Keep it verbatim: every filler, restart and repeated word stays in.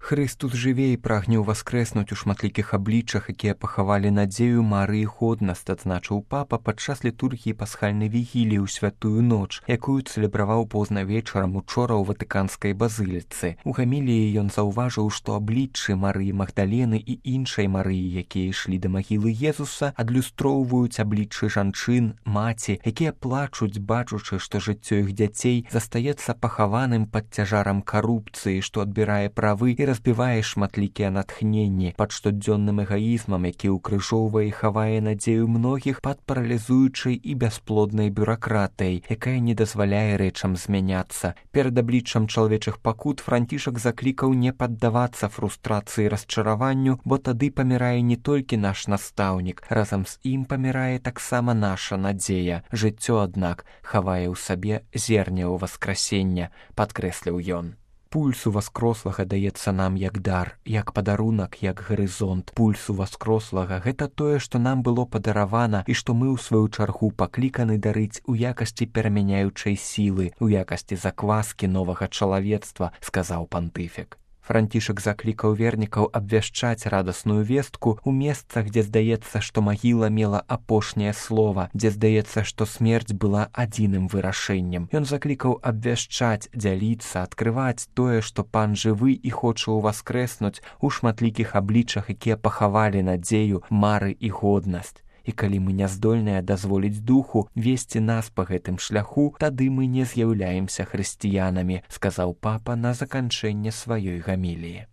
Хрыстус жыве і прагне ўваскрэснуць у шматлікіх абліччах, якія пахавалі надзею, мары і годнасць, адзначыў папа падчас літургіі пасхальнай вігіліі ў святую ноч, якую цэлебраваў позна вечарам учора ў ватыканскай базыліцы. У гаміліі ён заўважыў, што абліччы Марыі Магдалены і іншай Марыі, якія ішлі да магілы Езуса, адлюстроўваюць абліччы жанчын, маці, якія плачуць, бачучы, што жыццё іх дзяцей застаецца пахаваным пад цяжарам карупцыі, што адбірае правы і разбівае шматлікія натхненні, пад штодзённым эгаізмам, які ўкрыжоўвае і хавае надзею многіх пад паралізуючай і бясплоднай бюракратыяй, якая не дазваляе рэчам змяняцца. Перад абліччам чалавечых пакут Францішак заклікаў не паддавацца фрустрацыі і расчараванню, бо тады памірае не толькі наш настаўнік, разам з ім памірае таксама наша надзея. Жыццё, аднак, хавае ў сабе зерне ў васкрасення, падкрэсліў ён. Пульс уваскрослага даецца нам як дар, як падарунак, як гарызонт. Пульс уваскрослага – гэта тое, што нам было падаравана і што мы ў сваю чаргу пакліканы дарыць у якасці перамяняючай сілы, у якасці закваскі новага чалавецтва, сказаў пантыфік. Францішак заклікаў вернікаў абвяшчаць радасную вестку ў месцах, дзе здаецца, што магіла мела апошняе слова, дзе здаецца, што смерць была адзіным вырашэннем. Ён заклікаў абвяшчаць, дзяліцца, адкрываць тое, што пан жывы і хоча ўваскрэснуць у шматлікіх абліччах, якія пахавалі надзею, мары і годнасць. І калі мы не здольныя дазволіць духу весці нас па гэтым шляху, тады мы не з'яўляемся хрысціянамі, сказаў папа на заканчэнне сваёй гаміліі.